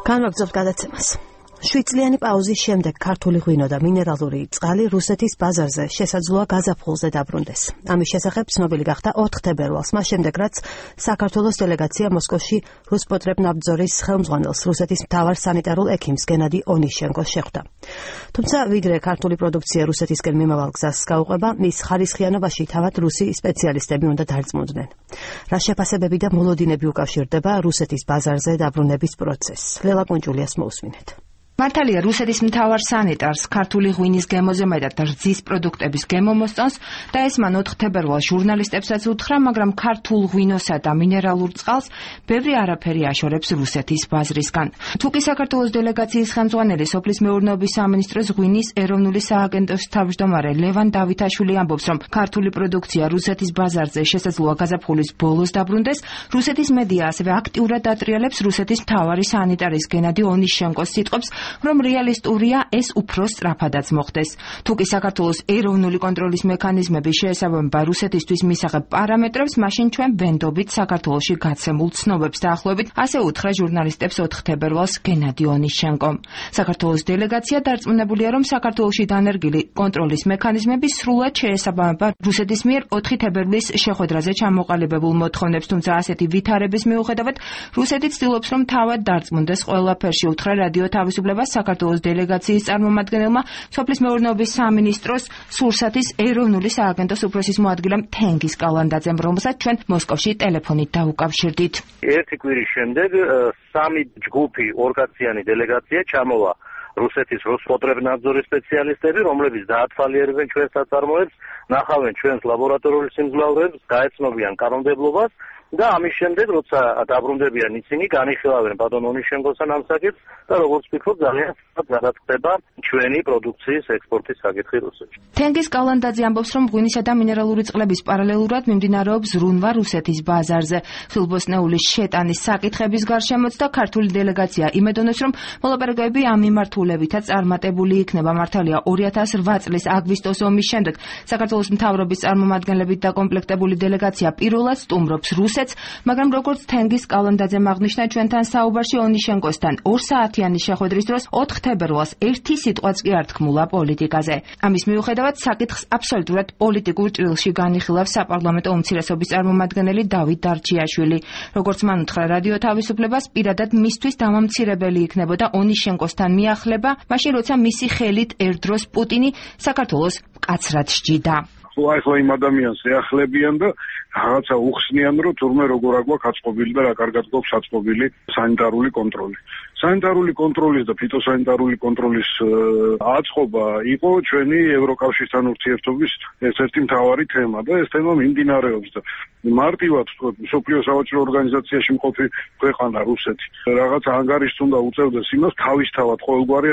განვაგრძობთ გადაცემას. 7 წლიანი პაუზის შემდეგ ქართული ღვინო და მინერალური წყალი რუსეთის ბაზარზე შესაძლოა გაზაფხულზე დაბრუნდეს. ამის შესახებ ცნობილი გახდა 4 თებერვალს, მას შემდეგ რაც საქართველოს დელეგაცია მოსკოვში რუსპოტრებნadzors ხელმძღვანელს რუსეთის მთავარ სანიტარულ ექიმს გენადი ონიშენკოს შეხვდა. თუმცა ვიდრე ქართული პროდუქცია რუსეთისკენ მიმავალ გზას გაუყვება, მის ხარისხიანობაში თავად რუსი სპეციალისტები უნდა დარწმუნდნენ. რა შეფასებები და მოლოდინები უკავშირდება რუსეთის ბაზარზე დაბრუნების პროცესს? ლელა კუნჭულიას მოусმინეთ. მართალია რუსეთის მთავარ სანიტარს ქართული ღვინის გემოზე მეტად რძის პროდუქტების გემო მოსწონს და ეს მან 4 თებერვალს ჟურნალისტებსაც უთხრა, მაგრამ ქართულ ღვინოსა და მინერალურ წყალს ბევრი არაფერი აშორებს რუსეთის ბაზრისგან. თუკი საქართველოს დელეგაციის ხელმძღვანელი სოფლის მეურნეობის სამინისტროს ღვინის ეროვნული სააგენტოს თავმჯდომარე ლევან დავითაშვილი ამბობს, რომ ქართული პროდუქცია რუსეთის ბაზარზე შესაძლოა გაზაფხულის ბოლოს დაბრუნდეს, რუსეთის მედია ასევე აქტიურად დატრიალებს რუსეთის მთავარი სანიტარის გენადი ონიშენკოს სიტყვებს, რომ რეალისტურია ეს უფრო სწრაფადაც მოხდეს. თუკი საქართველოს ეროვნული კონტროლის მექანიზმები შეესაბამება რუსეთისთვის მისაღებ პარამეტრებს, მაშინ ჩვენ ვენდობით საქართველოში გაცემულ ცნობებს დაახლოებით, ასე უთხრა ჟურნალისტებს 4 თებერვალს გენადი ონიშენკომ. საქართველოს დელეგაცია დარწმუნებულია, რომ საქართველოში დანერგილი კონტროლის მექანიზმები სრულად შეესაბამება რუსეთის მიერ 4 თებერვლის შეხვედრაზე ჩამოყალიბებულ მოთხოვნებს, თუმცა ასეთი ვითარების მიუხედავად რუსეთი ცდილობს, რომ თავად დარწმუნდეს ყველაფერში, უთხრა რადიო თავისუფლება საქართველოს დელეგაციის წარმომადგენელმა სოფლის მეურნეობის სამინისტროს სურსათის ეროვნული სააგენტოს უფროსის მოადგილემ თენგიზ კალანდაძემ, რომელსაც ჩვენ მოსკოვში ტელეფონით დაუკავშირდით. ერთი კვირის შემდეგ 3 ჯგუფი ორგანიზაციანი დელეგაცია ჩამოვა რუსეთის რუსპოტრებნadzors სპეციალისტები, რომლებიც დაათვალიერებენ ჩვენს საწარმოებს, ნახავენ ჩვენს ლაბორატორიულ სიმძლავრეებს, გაეცნობიან კანონმდებლობას და ამის შემდეგ, როცა დაბრუნდებიან ისინი, განიხილავენ ბატონ ონიშენკოსთან ამ საკითხს და როგორც ვფიქრობ, ძალიან გადაწყდება ჩვენი პროდუქციის ექსპორტის საკითხი რუსეთში. თენგიზ კალანდაძე ამბობს, რომ ღვინისა და მინერალური წყლების პარალელურად მიმდინარეობს ზრუნვა რუსეთის ბაზარზე. ხილბოსნეულის შეტანის საკითხების გარშემოც და ქართული დელეგაცია იმედოვნებს, რომ მოლაპარაკებები ამ მიმართულებითაც წარმატებული იქნება. მართალია 2008 წლის აგვისტოს ომის შემდეგ საქართველოს მთავრობის წარმომადგენლებით დაკომპლექტებული დელეგაცია პირველად სტუმრობს მაგრამ როგორც თენგიზ კალანდაძემ აღნიშნა ჩვენთან საუბარში ონიშენკოსთან 2 საათიანი შეხვედრის დროს 4 თებერვალს ერთი სიტყვაც კი არ თქმულა პოლიტიკაზე. ამის მიუხედავად საკითხს აბსოლუტურად პოლიტიკურ ჭრილში განიხილავს საპარლამენტო უმცირესობის წარმომადგენელი დავით დარჩიაშვილი. როგორც მან უთხრა რადიო თავისუფლებას, პირადად მისთვის დამამცირებელი იქნებოდა ონიშენკოსთან მიახლება, მაშინ როცა მისი ხელით ერთდროს პუტინი საქართველოს მკაცრად სჯიდა. ახლა იმ ადამიანს ეახლებიან და რაღაცა უხსნიან, რომ თურმე როგორ აგვაქვს აწყობილი და რა კარგად გვაქვს აწყობილი სანიტარული კონტროლი. სანიტარული კონტროლის და ფიტოსანიტარული კონტროლის აწყობა იყო ჩვენი ევროკავშირთან ურთიერთობის ერთ-ერთი მთავარი თემა და ეს თემა მიმდინარეობს და მარტივად მსოფლიო სავაჭრო ორგანიზაციაში მყოფი ქვეყანა რუსეთი რაღაცა ანგარიშს უნდა უწევდეს იმას თავისთავად ყოველგვარი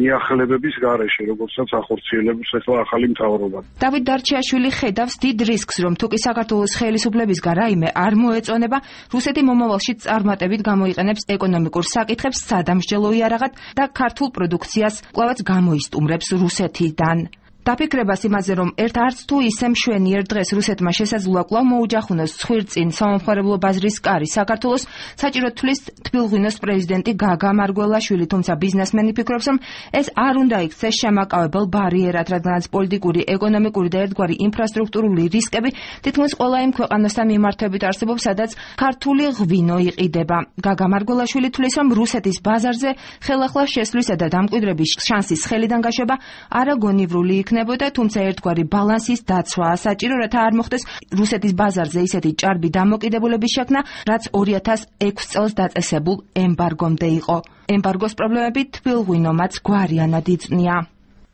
მიახლებების გარეშე, როგორცაც ახორციელებს ახლა ახალი მთავრობა. დავით დარჩიაშვილი ხედავს დიდ რისკს, რომ თუკი საქართველოს ხელისუფლებისგან რაიმე არ მოეწონება, რუსეთი მომავალში წარმატებით გამოიყენებს ეკონომიკურ საკითხებს სადამსჯელო იარაღად და ქართულ პროდუქციას კვლავაც გამოისტუმრებს რუსეთიდან. დაფიქრებას იმაზე, რომ არც თუ ისე მშვენიერ დღეს რუსეთმა შესაძლოა კვლავ მოუჯახუნოს ცხვირწინ სამომხმარებლო ბაზრის კარი საქართველოს, საჭირო თვლის თბილღვინოს პრეზიდენტი გაგა მარგველაშვილი, თუმცა ბიზნესმენი ფიქრობს, რომ ეს არ უნდა იქცეს შემაკავებელ ბარიერად, რადგანაც პოლიტიკური, ეკონომიკური და ერთგვარი ინფრასტრუქტურული რისკები თითქმის ყველა იმ ქვეყანასთან მიმართებით არსებობს, სადაც ქართული ღვინო იყიდება. გაგა მარგველაშვილი თვლის, რომ რუსეთის ბაზარზე ხელახლა შესვლისა და დამკვიდრების შანსის ხელიდან გაშვება არაგონივრული იქნება, თუმცა ერთგვარი ბალანსის დაცვაა საჭირო, რათა არ მოხდეს რუსეთის ბაზარზე ისეთი ჭარბი დამოკიდებულების შექმნა, რაც 2006 წელს დაწესებულ ემბარგომდე იყო. ემბარგოს პრობლემები თბილღვინომაც გვარიანად იწვნია.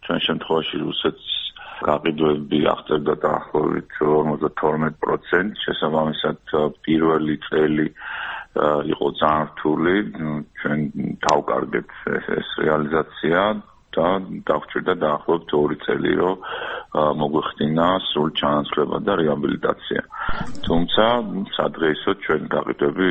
ჩვენ შემთხვევაში რუსეთს გაყიდვები აღწევდა დაახლოებით 52%, შესაბამისად პირველი წელი იყო ძალიან რთული, ჩვენ დავკარგეთ ეს რეალიზაცია და დაგვჭირდა დაახლოებით 2 წელი, რომ მოგვეხდინა სრულ ჩანაცვლება და რეაბილიტაცია. თუმცა სადღეისოდ ჩვენ გაყიდვები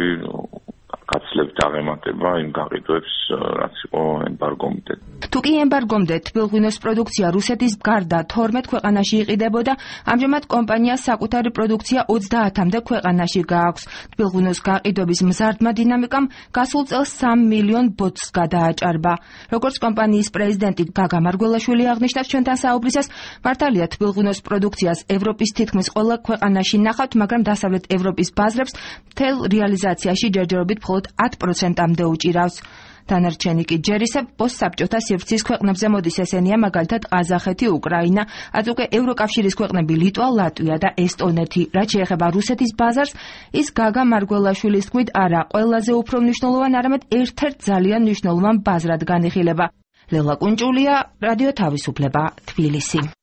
სძლევთ აღემატება იმ გაყიდვებს, რაც იყო ემბარგომდე. თუ კი ემბარგომდე თბილღვინოს პროდუქცია რუსეთის გარდა 12 ქვეყანაში იყიდებოდა, ამჟამად კომპანიას საკუთარი პროდუქცია 30-მდე ქვეყანაში გააქვს. თბილღვინოს გაყიდვების მზარდმა დინამიკამ გასულ წელს 3 მილიონ ბოთლს გადააჭარბა. როგორც კომპანიის პრეზიდენტი გაგა მარგველაშვილი აღნიშნავს ჩვენთან საუბრისას, მართალია თბილღვინოს პროდუქციას ევროპის თითქმის ყველა ქვეყანაში ნახავთ, მაგრამ დასავლეთ ევროპის ბაზრებს მთელ რეალიზაციაში ჯერჯერობით მხოლოდ 10%-მდე უჭირავს. დანარჩენი კი ჯერ ისევ პოსტსაბჭოთა სივრცის ქვეყნებზე მოდის, ესენია მაგალითად ყაზახეთი, უკრაინა, რაც უკვე ევროკავშირის ქვეყნები ლიტვა, ლატვია და ესტონეთი. რაც შეეხება რუსეთის ბაზარს, ის გაგა მარგველაშვილის თქმით არა ყველაზე უფრო მნიშვნელოვან, არამედ ერთ-ერთ ძალიან მნიშვნელოვან ბაზრად განიხილება. ლელა კუნჭულია, რადიო თავისუფლება, თბილისი.